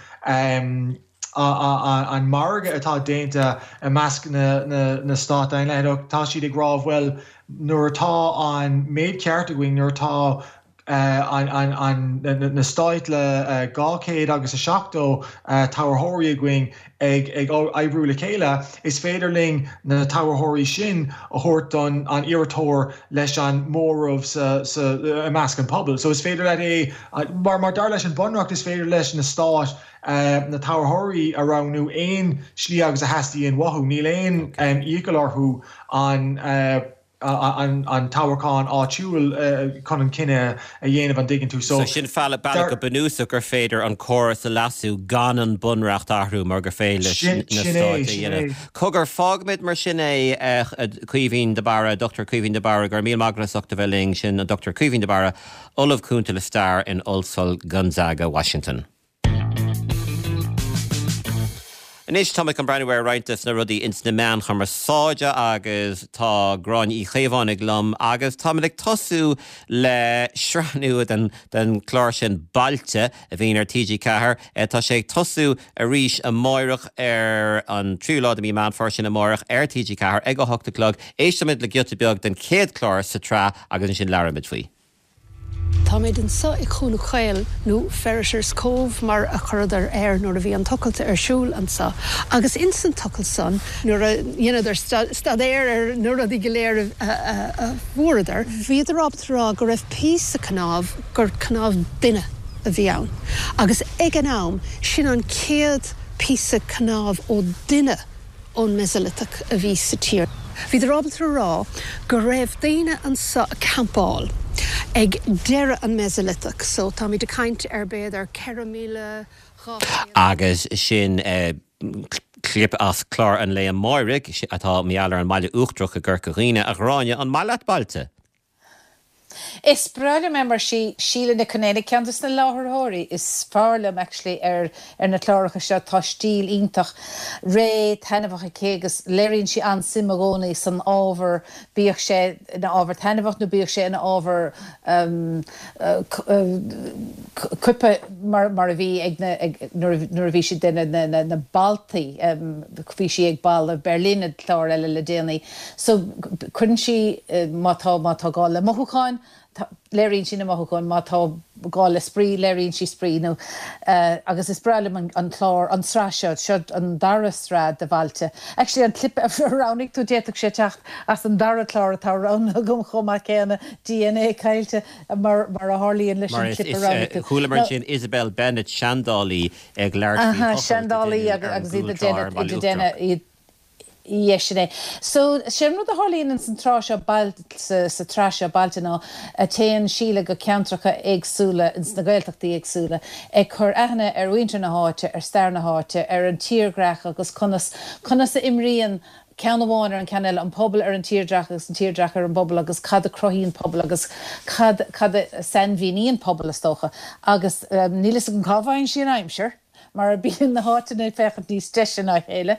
an margadh atá déanta i measc na, na, na stát daonlathach, tá siad ag rá bhuel nuair atá an méid ceart againn, nuair atá na stáit le dhá chéad agus a seachtó toghthóirí againn ag oibriú le chéile, is féidir linn na toghthóirí sin a thabhairt don an iarrthóir leis an móramh i measc an pobail. So is féidir leat é, mar mar dar leis an Bunreacht is féidir leis na stáit na toghthóirí a roghnú aon slí agus a theastaíonn uathu. Níl aon iachall orthu an an toghchán áitiúil chun an cinneadh a dhéanamh an dtuigeann tú. So sin bealach go bunúsach gur féidir an córas a leasú gan an bunreacht a athrú mar gur féidir leis na stáit a dhéanamh. Cogar fágfaimid mar sin é Caoimhín de Barra, Dochtúir Caoimhín de Barra, go raibh míle maith agat as ucht a bheith linn sin an Dochtúir Caoimhín de Barra, Ollamh Cúnta le Stair in Ollscoil Gonzaga, Washington. Anois tá mé chun breathnú ar roinnt de na rudaí ins na meáin chumarsáide agus tá Gráinne Uí Chaomhánaigh liom agus táimid ag tosú le sraith nua den den chlár sin Bailte a bhíonn ar T G Ceathair. Tá sé ag tosú arís amáireach ar an tríú lá de mí Meán Fómhair sin amáireach ar T G Ceathair ag a hocht a chlog. Éistfimid le giota beag den chéad chlár sa tsraith agus ansin labhróimid faoi. Táimid anseo i Chuan Chaol, nó Ferriter's Cove mar a chuireadar air nuair a bhí an tochailt ar siúl anseo. Agus ins an tochailt san, nuair a dheineadar staidéar ar na rudaí go léir a fuaireadar, bhíodar ábalta a rá go raibh píosa cnámh, gur cnámh duine a bhí ann. Agus ag an am, sin an chéad píosa cnámh ó duine ón Mesolithic a bhí sa tír. Bhíodar ábalta a rá go raibh daoine anseo ag campáil ag deireadh an Mesolithic, so táimid ag caint ar b'fhéidir ceithre míle dhá chéad. Agus sin clip as clár an lae amáirigh, atá mar gheall ar an mBaile Uachtarach i gCorca Dhuibhne. A Ghráinne, an maith leat Bailte? Is breá liom é mar sí Síle Nic Con Éanaigh ceann de na láithreoirí is fearr liom actually ar ar na cláracha seo. Tá stíl iontach réidh taitneamhach aici agus léiríonn sí an-suim i gcónaí san ábhar, bíodh sé ina ábhar taitneamhach nó bíodh sé ina ábhar coipthe mar mar a bhí ag na ag nuair nuair a bhí sí ag déanamh na na na baltaí bhí sí ag Balla Berlin i gclár eile le déanaí. So cuireann sí má tá má tá gá le mothúcháin, léiríonn sí na mothúcháin, má tá gá le spraoi, léiríonn sí spraoi nó agus is breá liom an clár, an tsraith seo, seo an dara sraith de Bhailte. Actually an clip a roghnaigh tú d'fhéadfadh sé teacht as an dara clár atá roghnaithe agam chomh maith céanna, D N A Caillte mar mar a tharlaíonn leis an clip a roghnaigh tú. Chualamar ansin Isabel Bennett, seandálaí ag labhairt faoi thochailt a deineadh ar an gcúltrá ar an mBaile Uachtarach. Ie, sin é. So, sé an rud a tharlaíonn ins an tráth seo sa sa tsraith seo Bailte ná téann Síle go ceantracha éagsúla ins na Gaeltachtaí éagsúla ag cur aithne ar mhuintir na háite, ar stair na háite, ar an tírdhreach agus conas conas a imríonn ceann amháin ar an ceann eile, an pobal ar an tírdhreach agus an tírdhreach ar an bpobal agus cad a cruthaíonn pobal agus cad cad a sainmhíníonn pobal is dócha. Agus níl fhios agam cá bhfaigheann sí an aimsir. mar bíonn na háiteanna ag féachaint níos deise ná a chéile,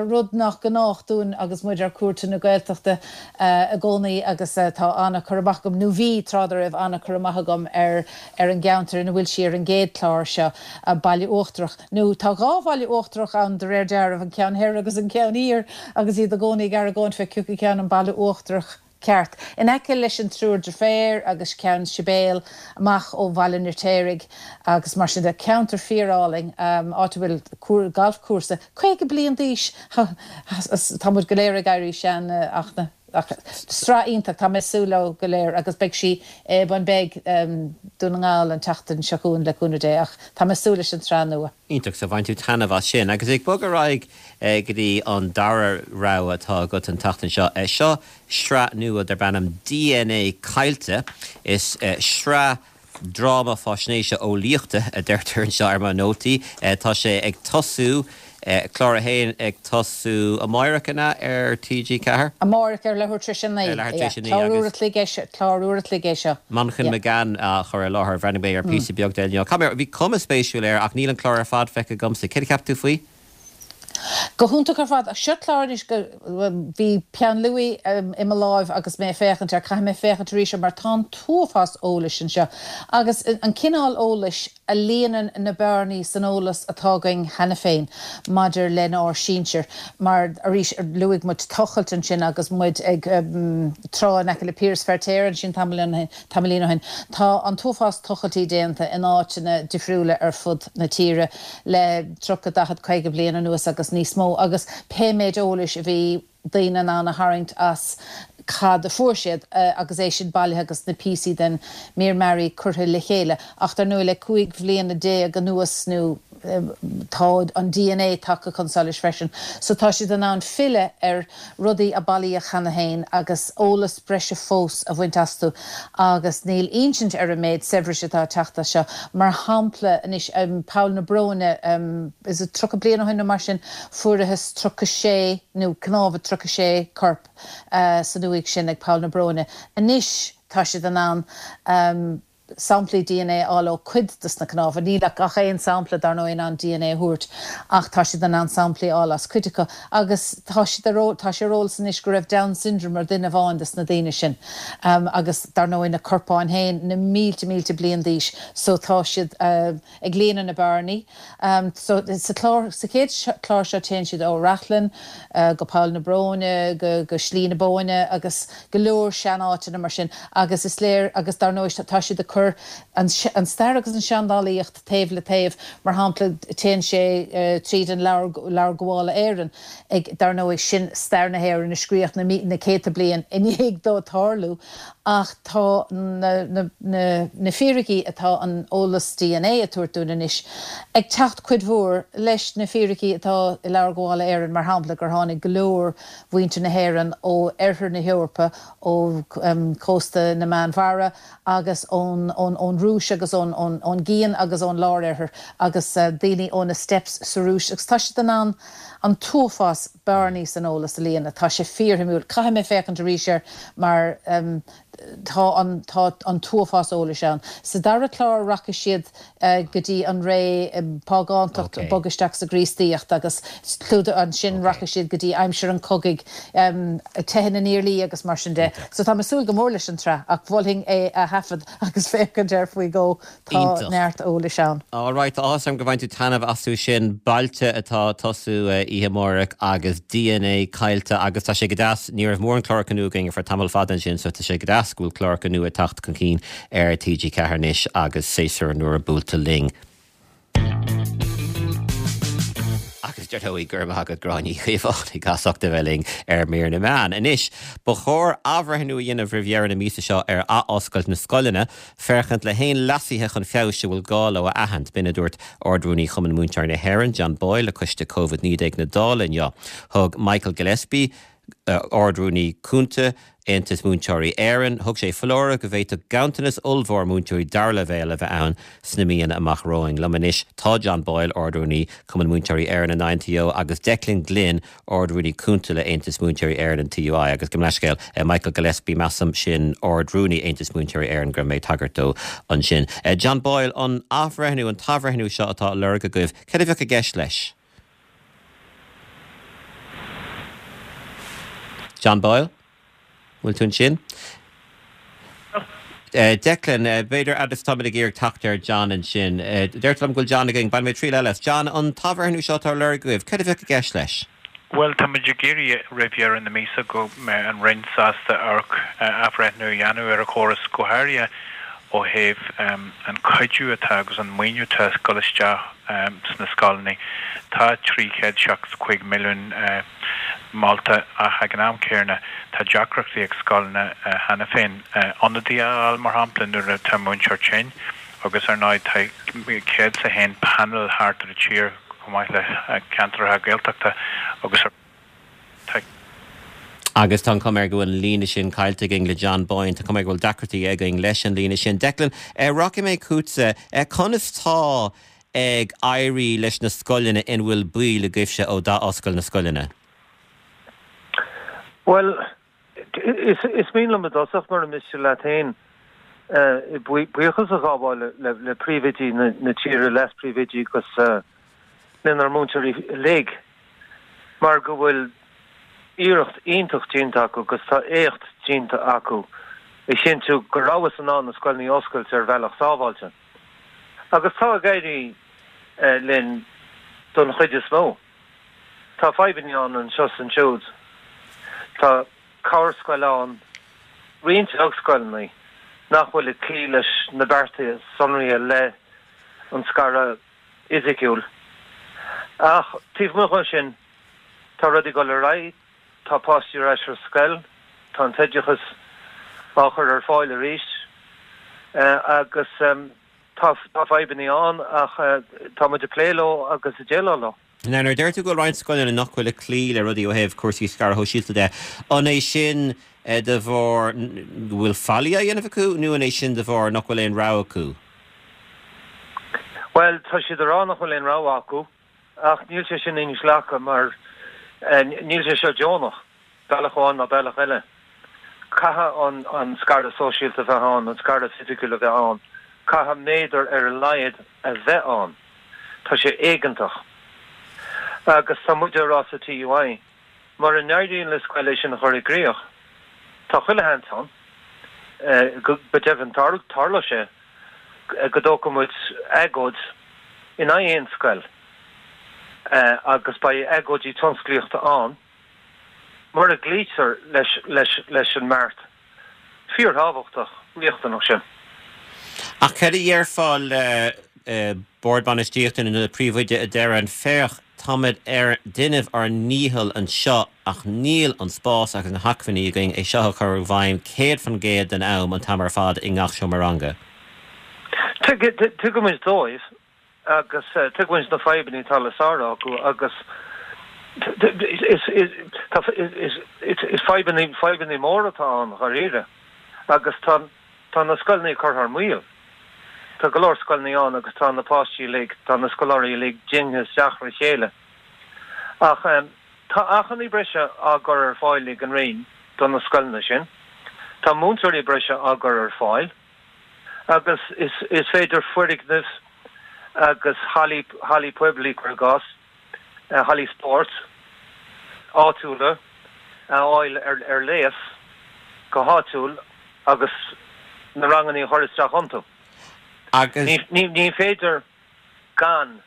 rud nach gnách dúinn agus muid ar cuairteanna Gaeltachta i gcónaí agus tá an-chur amach agam, nó bhí tráth dá raibh an-chur amach agam ar ar an gceantar ina bhfuil sí ar an gcéad chlár seo, Baile Uachtarach, nó tá dhá Bhaile Uachtarach ann de réir dealraimh, an ceann thoir agus an ceann thiar agus iad i gcónaí ag argóint fé cioca ceann an Baile Uachtarach. ceart. In aice leis an Triúr Deirféar agus Ceann Sibéal, amach ó Bhaile an Fheirtéaraigh agus mar sin de. Ceantar fíor-álainn, áit a bhfuil galfchúrsa caoga bliain d'aois! Tá muid go léir ag éirí sean ach na ach sraith iontach, tá mé ag súil leo go léir agus beidh sí i Bun Beag, Dún na nGall an tseachtain seo chugainn le cúnamh Dé ach tá mé ag súil leis an tsraith nua. Iontach, so bhain tú taitneamh as sin. Agus ag bogadh ar aghaidh go dtí an dara rogha atá agat an tseachtain seo, seo sraith nua darb ainm D N A Caillte. Is sraith dráma faisnéise eolaíochta a deirtear anseo ar mo nótaí. Tá sé ag tosú, clár a haon ag tosú amáireach an ea ar T G Ceathair? Amáireach ar leathuair tar éis a naoi. Ar leathuair tar éis a naoi Clár uair a chloig é seo, clár uair a chloig é seo. Manchán Magan á chur i láthair. Bhreathnaigh mé ar píosa beag de inniu. Caithfidh mé, bhí cuma spéisiúil air ach níl an clár ar fad feicthe agamsa. Céard a cheap tú faoi? Go hiontach ar fad. Ach seo clár anois go, bhí peann luaidhe i mo láimh agus mé ag féachaint air, caithfidh mé féachaint arís air mar tá an t-uafás eolais anseo agus an cineál eolais a líonann na bearnaí san eolas atá againn cheana féin maidir lenár sinsir. Mar, arís, luaigh muid tochailt ansin agus muid ag trá in aice le Piaras Feirtéar ansin tamaillín ó shin. Tá an t-uafás tochailtí déanta in áiteanna difriúla ar fud na tíre le tríocha, daichead, caoga bliain anuas agus níos mó agus pé méid eolais a bhí daoine in ann a tharraingt as cad a fuair siad agus é sin bailithe agus na píosaí den mír mearaí curtha le chéile. Ach dar ndóigh le cúig bhliana déag anuas nó tá an D N A tagtha chun solais freisin. So tá siad in ann filleadh ar rudaí a bailíodh cheana féin agus eolas breise fós a bhaint astu agus níl insint ar an méid saibhris atá ag teacht as seo. Mar shampla anois um, Poll na Bróine um, is a tríocha bliain ó shin nó mar sin fuarthas tríocha sé nó cnámha tríocha sé corp uh, san uaigh sin ag Poll na Bróine. Anois tá siad in ann um, samplaí D N A a fháil ó cuid des na cnámha, níl ach aon sampla dar ndóigh in ann D N A a thabhairt ach tá siad in ann samplaí a fháil as cuid acu agus tá siad tá sé ar eolas anois go raibh Down syndrome ar duine amháin des na daoine sin um, agus dar ndóigh na corpáin féin na mílte mílte bliain d'aois so tá siad uh, ag líonadh na bearnaí. Um, so sa chlár sa chéad chlár seo téann siad ó Rathlin uh, go Poll na Bróine go, go Slí na Bóinne agus go leor seanáiteanna mar sin agus is léir agus dar ndóigh tá siad ag cur an, an stair agus an seandálaíocht taobh le taobh mar shampla téann sé uh, tríd an Leabhar Gabhála Éireann ag dar ndóigh sin stair na hÉireann a scríobhadh na, na céadta bliain i ndiaidh dó tarlú ach tá na, na, na, na fíricí atá an eolas D N A ag tabhairt dúinn anois ag teacht cuid mhór leis na fíricí atá i Leabhar Gabhála Éireann mar shampla gur tháinig go leor mhuintir na hÉireann ó oirthear na hEorpa ó um, cósta na Meánmhara agus ón ón ón Rúis agus ón ón ón gCian agus ón lároirthear agus uh, daoine ó na steppes sa Rúis agus tá siad in ann an t-uafás bearnaí san eolas a líonadh tá sé fíorshuimiúil caithfidh mé féachaint arís air mar um, tá an tá an t-uafás eolais ann. Sa dara clár rachaidh siad uh, go dtí an ré um, phágántacht okay. bog isteach sa gCríostaíocht agus clúda ansin okay. rachaidh siad go dtí aimsir an chogaidh um, teitheadh na nIarlaí agus mar sin de. So tá mé ag súil go mór leis an tsraith ach mholfainn é a thaifead agus féachaint air faoi dhó tá neart eolais ann. All right, awesome go bhfaigheann tú taitneamh astu sin Bailte atá ag tosú oíche amárach agus D N A caillte agus tá sé go deas ní raibh mórán cláracha nua againn ar tamall fada sin so tá sé go deas go bhfuil cláracha nua ag teacht chun cinn ar T G Ceathair anois agus séasúr nua buailte linn. Agus dar ndóigh go raibh maith agat Gráinne Ní Chaomhánaigh as ucht a bheith linn ar Mír na Meán. Anois ba chóir athbhreithniú a dhéanamh roimh dheireadh na míosa seo ar athoscailt na scoileanna, féachaint le haon leasuithe chun feabhais a bhfuil gá leo a aithint. B'in a dúirt Ard-Rúnaí Chumann Múinteoirí na hÉireann, John Boyle le coiste Covid naoi déag na Dála inniu. Thug Michael Gillespie, Ard-Rúnaí Cúnta Aontas Múinteoirí Éireann, thug sé foláireamh go bhféadfadh ganntanas ollmhór múinteoirí dara leibhéal a bheith ann sna míonna amach romhainn. Liom anois tá John Boyle, Ard-Rúnaí Cumann Múinteoirí Éireann an I N T O agus Declan Glynn, Ard-Rúnaí Cúnta le Aontas Múinteoirí Éireann an T U I agus gabh mo leithscéal Michael Gillespie measaim sin Ard-Rúnaí Aontas Múinteoirí Éireann go raibh mé ag tagairt dó ansin. John Boyle an athbhreithniú an t-athbhreithniú seo atá á lorg agaibh, cad a bheadh i gceist leis? John Boyle? Bhfuil tú ansin? Declan, b'fhéidir agus táimid ag iarraidh teacht ar John ansin. Deirtear liom go bhfuil John againn, bainfidh mé triail eile as. John, an t-athbhreithniú seo atá á lorg agaibh, cad a bheadh i gceist leis? Bhuel, táimid ag iarraidh roimh dheireadh na míosa go mbeidh an Roinn sásta amharc athbhreithniú a dhéanamh ar an chóras, go háirithe ó thaobh an cuidiú atá agus an maoiniú atá ag dul isteach sna scoileanna. Tá trí chéad seachtó cúig milliún molta ach ag an am céanna tá deacrachtaí ag scoileanna cheana féin ionadaí a fháil, mar shampla nuair atá múinteoir tinn agus ar ndóigh tá céad is a haon panel thart ar an tír chomh maith le ceantracha Gaeltachta agus tá. Agus tá an chuma air go bhfuil an líne sin caillte againn le John Boyle, tá cuma air go bhfuil deacrachtaí againn leis an líne sin. Declan, rachaidh mé chugatsa, conas tá ag éirí leis na scoileanna ina bhfuil baill agaibhse ó d'athoscail na scoileanna? Bhuel, is is mian liom i dtosach mura miste leat féin buíochas a ghabháil le le príomhoidí na na tíre leas-phríomhoidí agus lenár múinteoirí uilig mar go bhfuil iarracht iontach déanta acu agus tá éacht déanta acu a chinntiú go rabhthas in ann na scoileanna a oscailt ar bhealach sábháilte. Agus tá ag éirí linn don chuid is mó. Tá fadhbanna ann anseo is ansiúd. Tá corrscoil ann, roinnt scoileanna nach bhfuil ag cloí leis na bearta sonraithe le an scaradh fhisiciúil. Ach taobh amuigh de sin, tá rudaí ag dul ar aghaidh, tá páistí ar ais ar scoil, tá an t-oideachas á chur ar fáil arís agus Tá fadhbanna ann ach tá muid ag plé leo agus ag déileáil leo. Now nuair a deir tú go bhfuil roinnt scoileanna nach bhfuil ag cloí le rudaí ó thaobh cúrsaí scaradh shóisialta de, an é sin de bharr go bhfuil faillí á dhéanamh acu nó an é sin de bharr nach bhfuil aon rogha acu? Bhuel, tá siad ag rá nach bhfuil aon rogha acu ach níl sé sin inghlactha mar níl sé seo deonach, bealach amháin ná bealach eile. Caithfidh an scaradh sóisialta a bheith ann, an scaradh fisiciúil a bheith ann. Caithfidh méadar ar a laghad a bheith ann. Tá sé éigeantach. Agus tá muid ag rá sa TUI, mura n-éiríonn le scoil é sin a chur i gcrích, tá chuile sheans ann, go deimhin tarlóidh sé, go dtógfaidh muid agóid in aghaidh aon scoil agus beidh agóidí tionsclaíochta ann mura gcloítear leis an mbeart fíorthábhachtach riachtanach sin. Ach cad a dhéarfá le Bord Bainistíochta nó le príomhoide a deireann, féach, táimid ag déanamh ár ndícheall anseo ach níl an spás agus na hacmhainní againn é seo a chur i bhfeidhm céad faoin gcéad den am, an t-am ar fad, i ngach seomra ranga? Tuigimid dóibh agus tuigimid na fadhbanna atá le sárú acu agus is fadhbanna, fadhbanna móra atá ann, dháiríre, agus tá tá na scoileanna curtha thar maoil. Tá go leor scoileanna ann agus tá na páistí uilig, tá na scoláirí uilig dingthe isteach le chéile. Ach tá acmhainní breise á gcur ar fáil ag an Roinn do na scoileanna sin. Tá múinteoirí breise á gcur ar fáil agus is is féidir foirgnimh agus hallaí hallaí poiblí, cuir i gcás, hallaí spóirt áitiúla a fháil ar ar léas go háitiúil agus na ranganna a chur isteach iontu. Agus. Ní ní féidir gan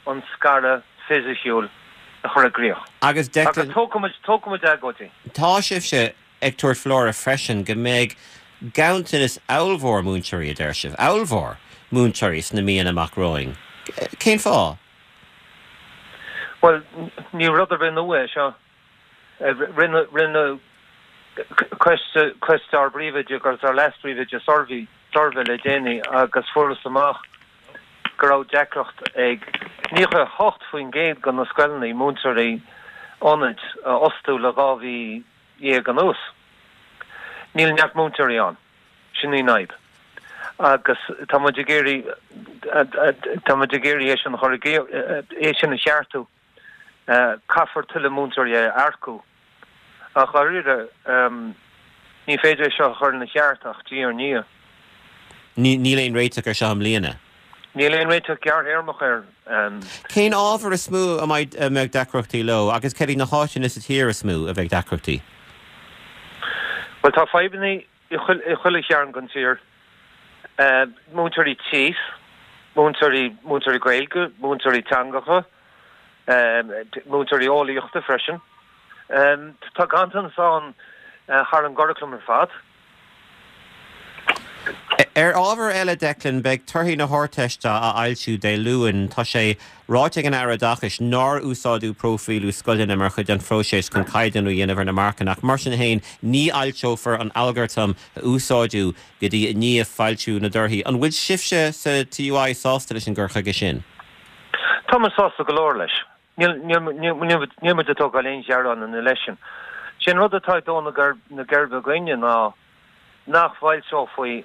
an scaradh fisiciúil a chur i gcrích. Agus Declan. Agus tógfaimid tógfaimid agóidí. Tá sibhse ag tabhairt foláireamh freisin go mbeidh ganntanas ollmhór múinteoirí, a deir sibh, ollmhór múinteoirí sna míonna amach romhainn. Cén fáth? Bhuel, ní rud ar bith nua é seo. Rinne rinne coiste coiste ár bpríomhoide agus ár leas-phríomhoide suirbhé suirbhé le déanaí agus fuarthas amach go raibh deacracht ag naocha a hocht faoin gcéad de na scoileanna múinteoirí ionaid a fhostú le dhá mhí dhéag anuas. Níl neart múinteoirí ann. Sin í an fhadhb. Agus tá muid ag iarraidh, tá muid ag iarraidh é sin a chur i, é sin a cheartú. Caithfear tuilleadh múinteoirí a earcú. Ach dháiríre, ní féidir é seo a chur ina cheart ach diaidh ar ndiaidh. Níl aon réiteach ar seo i mbliana. Níl aon réiteach gearrthéarmach air. Cén ábhar is mó a mbeidh deacrachtaí leo agus cad iad na háiteanna sa tír is mó a bheidh deacrachtaí? Bhuel, tá fadhbanna i chuile chearn den tír. Múinteoirí tíos, múinteoirí, múinteoirí Gaeilge, múinteoirí teangacha, múinteoirí eolaíochta freisin. Tá ganntanas ann thar an gcuraclam ar fad. Ar ábhar eile, Declan, beidh torthaí na hArdteiste á fhoilsiú Dé Luain. Tá sé ráite ag an Aire Oideachais nár úsáideadh próifíliú scoileanna mar chuid den phróiseas chun caighdeánú a dhéanamh ar na marcanna ach mar sin féin ní fhoilseofar an t-algartam a úsáideadh go dtí i ndiaidh foilsiú na dtorthaí. An bhfuil sibhse sa TUI sásta leis an gcur chuige sin? Tá muid sásta go leor leis. Níl muid ag tógáil aon ghearán ina leith sin. Sé an rud atá ag dó na geirbe againne ná nach bhfoilseofaí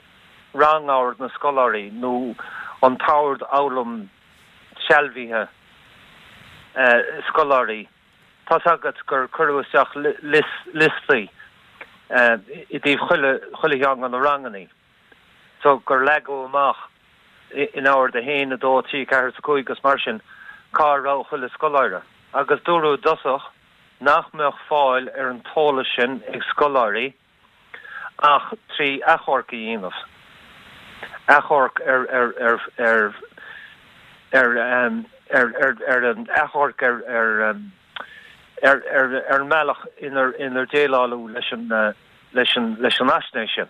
rangord na scoláirí nó an t-ord foghlaim sealbhaithe scoláirí. Tá's agat gur cuireadh isteach liostaí i dtaobh chuile cheann de na ranganna so gur leagadh amach in ord a haon, a dó, a trí, a ceathair is a cúig agus mar sin cá raibh chuile scoláire. Agus dúradh i dtosach nach mbeadh fáil ar an t-eolas sin ag scoláirí ach trí achomharc a dhéanamh, achomharc ar ar ar ar ar ar ar ar an achomharc ar ar ar ar ar an mbealach inar inar déileáladh leis an leis an leis an fhaisnéis sin.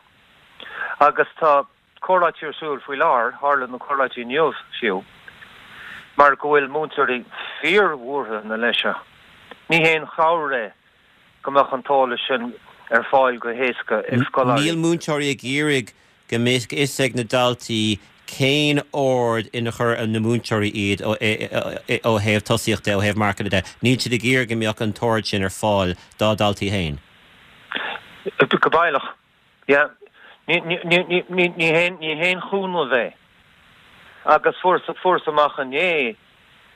Agus tá comhráití ar siúl faoi láthair, tharla na comhráití inniu fiú, mar go bhfuil múinteoirí fíorbhuartha ina leith seo. Ní haon chabhair é go mbeadh an t-eolas sin ar fáil go héasca ag scoláirí. Níl múinteoirí ag iarraidh go mbeadh fhios ag na daltaí cén ord ina chuir na múinteoirí iad ó ó thaobh tosaíochta, ó thaobh marcanna de. Níl siad ag iarraidh go mbeadh an t-ord sin ar fáil dá ndaltaí féin. Go baileach, yeah. Ní ní ní ní haon ní haon chúnamh é. Agus fuarthas fuarthas amach inné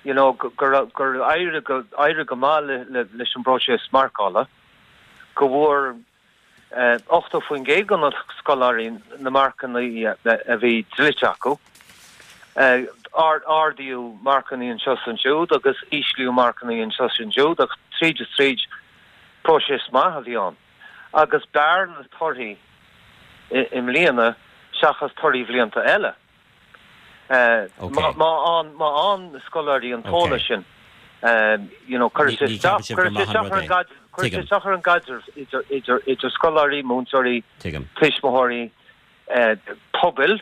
you know gur gur éirigh go éirigh go maith le le leis an bpróiseas marcála, go bhfuair ochtó faoin gcéad de na scoláirí na marcanna a bhí dlite acu. Ardaíodh marcanna anseo is ansiúd agus íslíodh marcanna anseo is ansiúd ach tríd is tríd próiseas maith a bhí ann. Agus b'fhearr na torthaí i mbliana seachas torthaí bhlianta eile. Má fhaigheann na scoláirí an t-eolas sin, you know, cuirfidh sé isteach isteach ar an gcaidreamh idir idir scoláirí, múinteoirí, tuismitheoirí, pobail,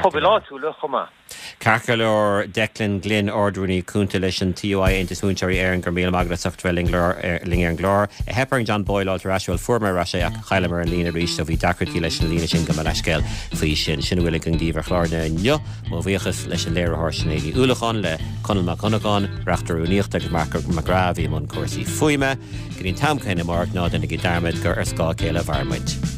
pobail áitiúla chomh maith. Ceart go leor, Declan Glynn, Ard-Rúnaí Cúnta leis an TUI, Aontas Múinteoirí Éireann, go raibh míle maith agat as ucht bheith linn linn ar an gclár. Theip ar John Boyle fháilt ar ais, bhuel fuair mé ar ais é ach chailleamar an líne arís so bhí deacrachtaí leis an líne sin gabh mo leithscéal faoi sin. Sin a bhfuil againn daoibh ar chlár na inniu. Mo bhuíochas leis an léiritheoir Sinéad Ní Uallacháin, le Conall Mac Dhonnagáin, Reachtaire Rúnaíochta agus Marc McGrath a bhí i mbun cúrsaí fuaime. Go dtí an t-am céanna amárach ná déanaigí dearmad gur ar scáth a chéile a mhair muid.